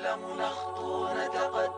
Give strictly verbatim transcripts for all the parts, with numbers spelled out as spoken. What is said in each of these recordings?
نتعلم نخطو نتقدم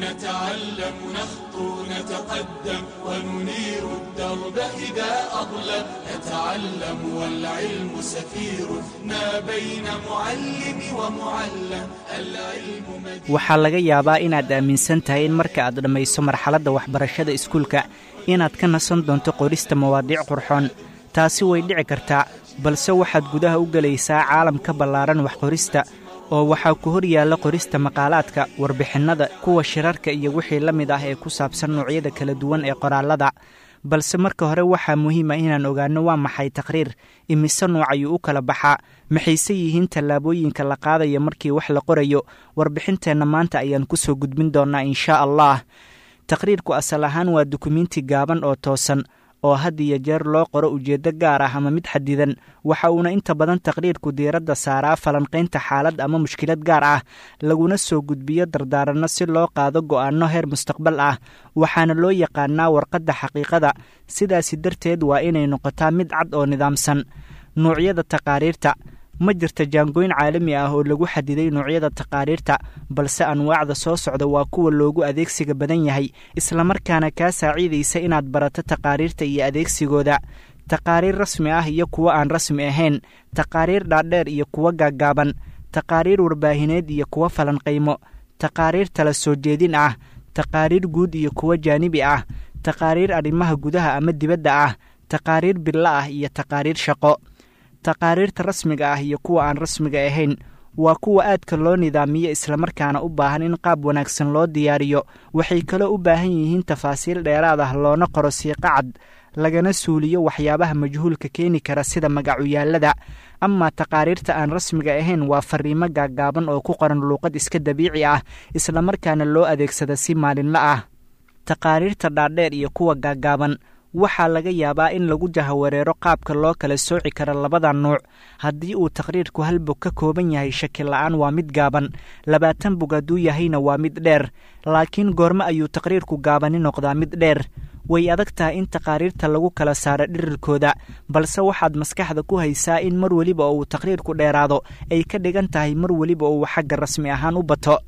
نتعلم نخطو نتقدم وننير الدرب إذا أظلم نتعلم والعلم سفير ما بين معلم ومعلم العلم مدين. Waxaa laga yaabaa inaad aaminsan tahay in marka aad dhammayso marxaladda waxbarashada iskuulka inaad ka nasan doonto qorista mawaadiic qurxoon. Taasi way dhici kartaa, balse waxaad gudaha u gelaysaa caalam ka ballaaran waxqorista, oo waxaa ku hor yaalla qorista maqaalaadka, warbixinnada, kuwa shirarka iyo wixii la mid ah ee ku saabsan noocyada kala duwan ee qoraallada. Balse marka hore waxaa muhiim ah inaan ogaanno waa maxay taqriir, imise nooc ayuu u kala baxaa, maxayse yihiin tallaabooyinka la qaadaya markii wax la qorayo. Warbixinteenna maanta ayaan ku soo gudbin doonnaa inshaa Allah. Taqriirku asal ahaan waa dukumiinti gaaban oo toosan oo had iyo jeer loo qoro ujeeddo gaar ah ama mid xadidan. Waxa uuna inta badan taqriirku diiradda saaraa falanqaynta xaalad ama mushkilad gaar ah, laguna soo gudbiyo dardaaranno si loo qaado go'aanno heer mustaqbal ah. Waxaana loo yaqaanaa warqadda xaqiiqada, sidaasi darteed waa inay noqotaa mid cad oo nidaamsan. Nuucyada taqaariirta: ma jirta jaangooyn caalami ah oo lagu xadiday noocyada taqaariirta, balse anwaacda soo socda waa kuwa loogu adeegsiga badan yahay, islamarkaana kaa saaciidaysa inaad barato taqaariirta iyo adeegsigooda. Taqaariir rasmi ah iyo kuwo aan rasmi ahayn, taqaariir dhaadheer iyo kuwo gaaggaaban, taqaariir warbaahineed iyo kuwo falanqaymo, taqaariir tala soo jeedin ah, taqaariir guud iyo kuwo jaanibi ah, taqaariir arrimaha gudaha ama dibadda ah, taqaariir bilo ah iyo taqaariir shaqo. Taqaariirta rasmiga ah iyo kuwa aan rasmiga ahayn waa kuwa aadka loo nidaamiyo, islamarkaana u baahan in qaab wanaagsan loo diyaariyo. Waxay kaloo u baahan yihiin tafaasiil dheeraad ah, loona qoro siiqo cad, lagana suuliyo waxyaabaha majhuulka keeni kara sida magacuyaallada. Amaa taqaariirta aan rasmiga ahayn waa fariimo gaaggaaban oo ku qoran luuqad iska dabiici ah, islamarkaana loo adeegsada si maalinla ah. Taqaariirta dhaadheer iyo kuwa gaaggaaban waxaa laga yaabaa in lagu jahawareero qaabka loo kala sooci karo labada nuuc. Haddii uu taqriirku hal bog ka kooban yahay, shaki la'aan waa mid gaaban, labaatan bog hadduu yahayna waa mid dheer. Laakiin goormo ayuu taqriirku gaabani noqdaa mid dheer? Way adag tahay in taqaariirta lagu kala saaro dhirirkooda, balse waxaad maskaxda ku haysaa in mar weliba oo uu taqriirku dheeraado ay ka dhigan tahay mar weliba oo uu xagga rasmi ahaan u bato.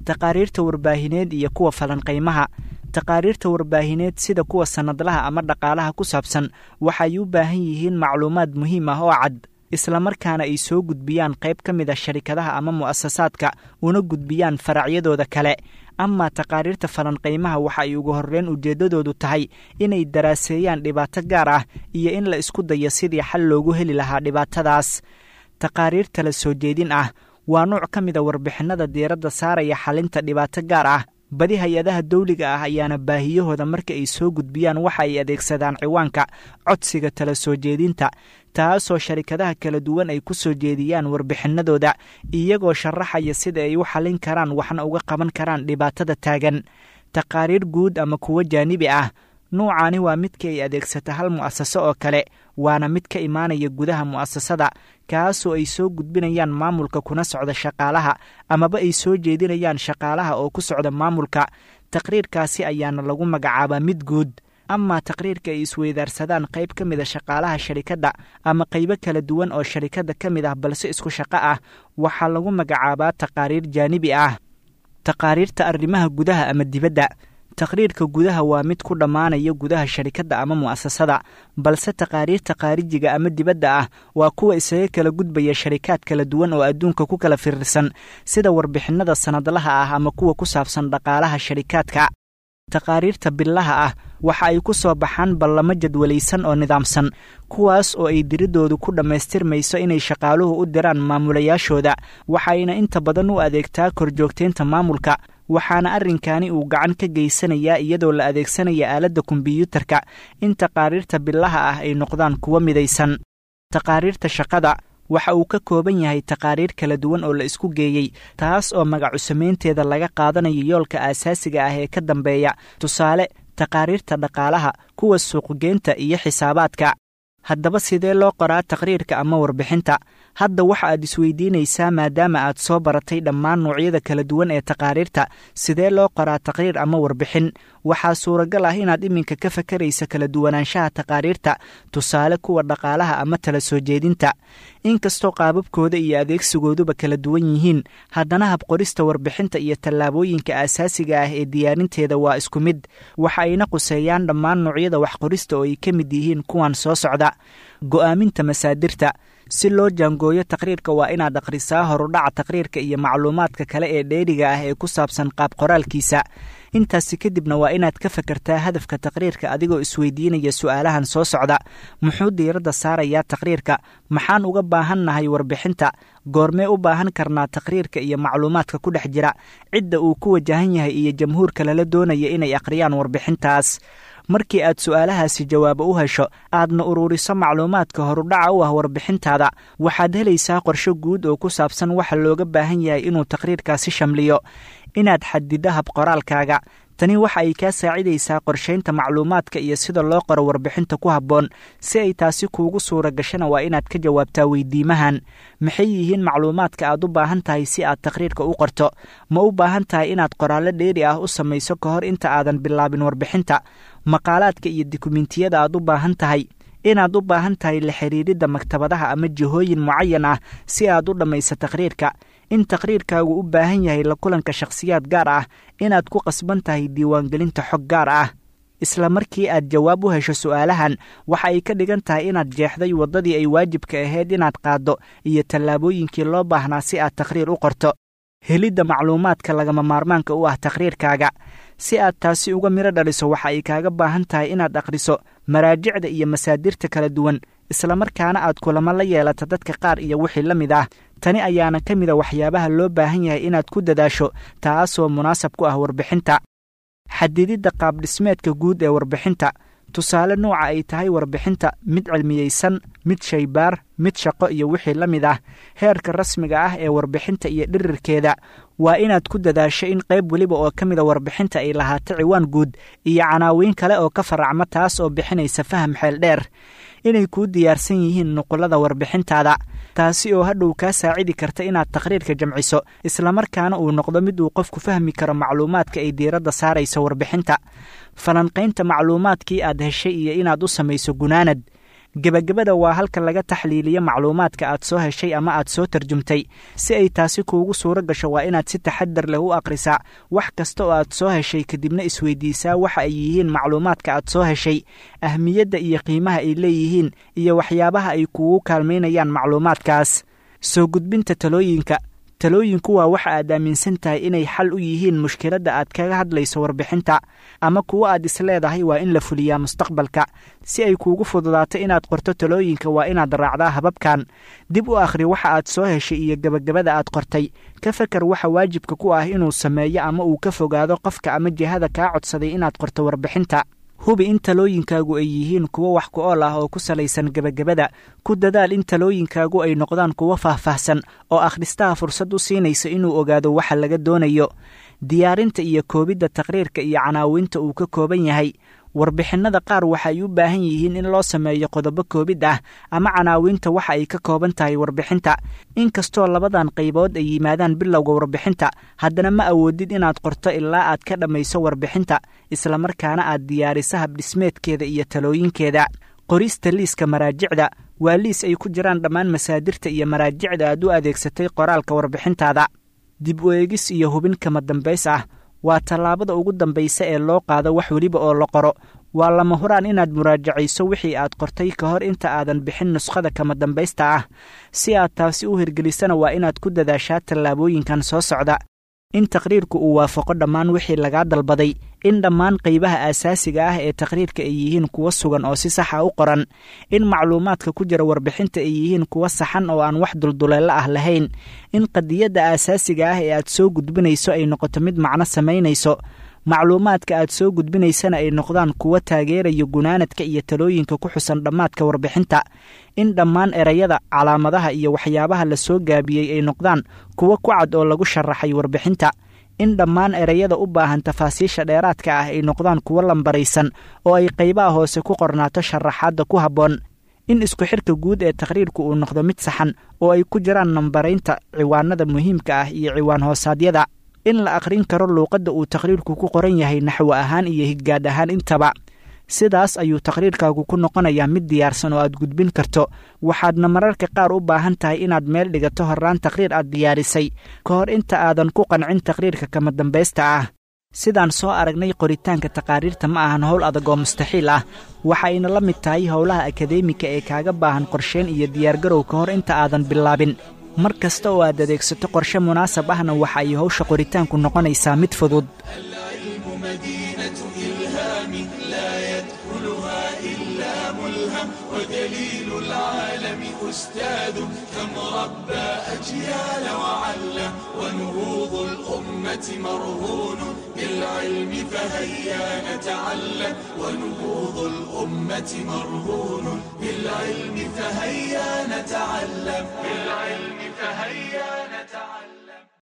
Taqaariirta warbaahineed iyo kuwa falanqaymaha: taqaariirta warbaahineed sida kuwa sannadlaha ama dhaqaalaha ku saabsan waxay u baahan yihiin macluumaad muhiim ah oo cad, islamarkaana ay soo gudbiyaan qayb ka mid a sharikadaha ama mu'asasaadka, una gudbiyaan faracyadooda kale. Amaa taqaariirta falanqaymaha waxa ay ugu horreyn ujeeddadoodu tahay inay daraaseeyaan dhibaato gaar ah iyo in la isku dayo sidii xal loogu heli lahaa dhibaatadaas. Taqaariirta la soo jeedin ah waa nuuc ka mid a warbixinnada diiradda saaraya xalinta dhibaato gaar ah. Badi hay-adaha dawliga ah ayaana baahiyahooda marka ay soo gudbiyaan waxa ay adeegsadaan ciwaanka codsiga tala soo jeedinta, taasoo sharikadaha kala duwan ay ku soo jeediyaan warbixinnadooda, iyagoo sharaxaya sida ay u xalin karaan waxna uga qaban karaan dhibaatada taagan. Taqaariir guud ama kuwo jaanibi ah: nuucaani waa midka ay adeegsata hal mu'asaso oo kale, waana mid ka imaanaya gudaha mu'asasada, kaasoo ay soo gudbinayaan maamulka kuna socda shaqaalaha, amaba ay soo jeedinayaan shaqaalaha oo ku socda maamulka. Taqriirkaasi ayaana lagu magacaabaa mid guud. Amaa taqriirka ay isweydaarsadaan qayb ka mid a shaqaalaha sharikadda ama qaybo kala duwan oo sharikadda ka mid ah balse isku shaqo ah, waxaa lagu magacaabaa taqaariir jaanibi ah. Taqaariirta arrimaha gudaha ama dibadda: taqriirka gudaha waa mid ku dhammaanaya gudaha sharikadda ama mu'asasada, balse taqaariirta khaarijiga ama dibadda ah waa kuwa isaga kala gudbaya sharikaad kala duwan oo adduunka ku kala firirsan, sida warbixinnada sannadlaha ah ama kuwa ku saabsan dhaqaalaha sharikaadka. Taqaariirta billaha ah waxa ay ku soo baxaan ballamo jadwalaysan oo nidaamsan, kuwaas oo ay diridoodu ku dhammaystirmayso inay shaqaaluhu u diraan maamulayaashooda. Waxayna inta badan u adeegtaa korjoogteynta maamulka, waxaana arrinkaani uu gacan ka geysanayaa iyadoo la adeegsanaya aaladda kombiyuutarka in taqaariirta billaha ah ay noqdaan kuwo midaysan. Taqaariirta shaqada waxa uu ka kooban yahay taqaariir kala duwan oo la isku geeyey, taas oo magacu samaynteeda laga qaadanayo yoolka aasaasiga ah ee ka dambeeya. Tusaale, taqaariirta dhaqaalaha, kuwa suuqgeynta iyo xisaabaadka. Haddaba sidee loo qoraa taqriirka ama warbixinta? Hadda waxa aad isweydiinaysaa, maadaama aad soo baratay dhammaan noocyada kala duwan ee taqaariirta, sidee loo qoraa taqriir ama warbixin? Waxaa suuragal ah inaad iminka ka fakaraysa kala duwanaanshaha taqaariirta, tusaale kuwa dhaqaalaha ama tala soo jeedinta. Inkastoo qaababkooda iyo adeegsigooduba kala duwan yihiin, haddana habqorista warbixinta iyo tallaabooyinka aasaasiga ah ee diyaarinteeda waa isku mid. Waxa ayna quseeyaan dhammaan noocyada waxqorista oo ay ka mid yihiin kuwan soo socda. Go'aaminta masaadirta. Si loo jaangooyo taqriirka waa inaad akhrisaa horudhaca taqriirka iyo macluumaadka kale ee dheeriga ah ee ku saabsan qaab qoraalkiisa. Intaasi kadibna waa inaad ka fakartaa hadafka taqriirka adigoo isweydiinaya su'aalahan soo socda. Muxuu diiradda saarayaa taqriirka? Maxaan uga baahannahay warbixinta? Goormee u baahan karnaa taqriirka iyo macluumaadka ku dhex jira? Cidda uu ku wajahan yahay iyo jamhuurka lala doonaya inay akhriyaan warbixintaas. Markii aad su'aalahaasi jawaabo u hesho, aadna uruuriso macluumaadka horudhaca u ah warbixintaada, waxaad helaysaa qorshe guud oo ku saabsan waxa looga baahan yahay inuu taqriirkaasi shamliyo. Inaad xadiddo hab qoraalkaaga. Tani waxa ay kaa saacidaysaa qorshaynta macluumaadka iyo sida loo qoro warbixinta ku habboon. Si ay taasi kuugu suura gashana waa inaad ka jawaabtaa weydiimahan. Maxay yihiin macluumaadka aad u baahan tahay si aad taqriirka u qorto? Ma u baahan tahay inaad qoraallo dheeri ah u samayso ka hor inta aadan bilaabin warbixinta? Maqaalaadka iyo dukumentiyada aad u baahan tahay. Inaad u baahan tahay la xiriiridda maktabadaha ama jihooyin mucayan ah si aad u dhammayso taqriirka. In taqriirkaagu u baahan yahay la kulanka shakhsiyaad gaar ah. Inaad ku qasban tahay diiwaangelinta xog gaar ah. Isla markii aad jawaab u hesho su'aalahan, waxa ay ka dhigan tahay inaad jeexday waddadii ay waajibka ahayd inaad qaaddo iyo tallaabooyinkii loo baahnaa si aad taqriir u qorto. Helidda macluumaadka lagama maarmaanka u ah taqriirkaaga. Si aad taasi uga midho dhaliso, waxa ay kaaga baahan tahay inaad akhriso maraajicda iyo masaadirta kala duwan, islamarkaana aad kulamo la yeelato dadka qaar iyo wixii la mid ah. Tani ayaana ka mida waxyaabaha loo baahan yahay inaad ku dadaasho, taasoo munaasab ku ah warbixinta. Xadididda qaabdhismeedka guud ee warbixinta. Tusaale, nooca ay tahay warbixinta: mid cilmiyeysan, mid shaybaar, mid shaqo iyo wixii la mid ah. Heerka rasmiga ah ee warbixinta iyo dhirirkeeda. Waa inaad ku dadaasho in qayb weliba oo ka mida warbixinta ay lahaato ciwaan guud iyo canaawiin kale oo ka faracma, taas oo bixinaysa faham xeel dheer. Inay kuu diyaarsan yihiin nuqullada warbixintaada, taasi oo hadhow kaa saacidi karta inaad taqriirka jamciso, islamarkaana uu noqdo mid uu qofku fahmi karo macluumaadka ay diiradda saarayso warbixinta. Falanqaynta macluumaadkii aad heshay iyo inaad u samayso gunaanad. Gebagabada waa halka laga taxliiliyo macluumaadka aad soo heshay ama aad soo tarjumtay. Si ay taasi kuugu suuro gasho, waa inaad si taxadar leh u akhrisaa wax kasta oo aad soo heshay, kadibna isweydiisaa waxa ay yihiin macluumaadka aad soo heshay, ahmiyadda iyo qiimaha ay leeyihiin, iyo waxyaabaha ay kuugu kaalmaynayaan macluumaadkaas. Soo gudbinta talooyinka. Talooyinku waa waxa aad aaminsan tahay inay xal u yihiin mushkiladda aad kaga hadlayso warbixinta, ama kuwo aad isleedahay waa in la fuliyaa mustaqbalka. Si ay kuugu fududaato inaad qorto talooyinka, waa inaad raacdaa hababkan. Dib u akhri waxa aad soo heshay iyo gebagabada aad qortay. Ka fakar waxa waajibka ku ah inuu sameeyo ama uu ka fogaado qofka ama jihada kaa codsaday inaad qorto warbixinta. Hubi in talooyinkaagu ay yihiin kuwo wax ku ool ah oo ku salaysan gebagabada. Ku dadaal in talooyinkaagu ay noqdaan kuwo faahfaahsan oo akhristaha fursad u siinaysa inuu ogaado waxa laga doonayo. Diyaarinta iyo koobidda taqriirka iyo canaawinta uu ka kooban yahay. Warbixinnada qaar waxa ay u baahan yihiin in loo sameeyo qodobo koobid ah ama canaawinta waxa ay ka kooban tahay warbixinta. Inkastoo labadan qaybood ay yimaadaan bilowga warbixinta, haddana ma awoodid inaad qorto ilaa aad ka dhammayso warbixinta, islamarkaana aad diyaariso habdhismeedkeeda iyo talooyinkeeda. Qorista liiska maraajicda waa liis ay ku jiraan dhammaan masaadirta iyo maraajicda aad u adeegsatay qoraalka warbixintaada. Dib u eegis iyo hubin kama dambays ah waa tallaabada ugu dambaysa ee loo qaado wax weliba oo la qoro. Waa lama huraan inaad muraajacayso wixii aad qortay ka hor inta aadan bixin nuskhada kama dambaysta ah. Si aad taasi u hirgelisana, waa inaad ku dadaashaa tallaabooyinkan soo socda. In taqriirku uu waafaqo dhammaan wixii lagaa dalbaday. In dhammaan qaybaha aasaasiga ah ee taqriirka ay yihiin kuwo sugan oo si saxa u qoran. In macluumaadka ku jira warbixinta ay yihiin kuwo saxan oo aan wax dulduleello ah lahayn. In qadiyadda aasaasiga ah ee aad soo gudbinayso ay noqoto mid macno samaynayso, macluumaadka aad soo gudbinaysana ay noqdaan kuwo taageeraya gunaanadka iyo talooyinka ku xusan dhammaadka warbixinta. In dhammaan erayada, calaamadaha iyo waxyaabaha la soo gaabiyey ay noqdaan kuwo ku cad oo lagu sharaxay warbixinta. In dhammaan erayada u baahan tafaasiisha dheeraadka ah ay noqdaan kuwo lambaraysan oo ay qaybaha hoose ku qornaato sharaxaadda ku habboon. In isku xirka guud ee taqhriirku uu noqdo mid saxan oo ay ku jiraan nambaraynta ciwaanada muhiimka ah iyo ciwaan hoosaadyada. In la akhrin karo luuqadda uu taqhriirku ku qoran yahay naxwo ahaan iyo higgaad ahaan intaba. Sidaas ayuu taqhriirkaagu ku noqonayaa mid diyaarsan oo aad gudbin karto. Waxaadna mararka qaar u baahan tahay inaad meel dhigato horraan taqhriir aad diyaarisay ka hor inta aadan ku qancin taqhriirka kama dambaysta ah. Sidaan soo aragnay, qoritaanka taqaariirta ma ahan howl adag oo mustaxiil ah. Waxayna la mid tahay howlaha akadeemika ee kaaga baahan qorsheyn iyo diyaargarow ka hor inta aadan bilaabin. Mar kasta oo aad adeegsato qorshe munaasab ahna, waxa ay howsha qoritaanku noqonaysaa mid fudud. العلم مدينة إلهام لا يدخلها إلا ملهم، ودليل العالم أستاذ كم ربى أجيال وعلم، ونهوض الأمة مرهون بالعلم فهيا نتعلم، ونهوض الأمة مرهون بالعلم فهيا نتعلم، بالعلم فهيا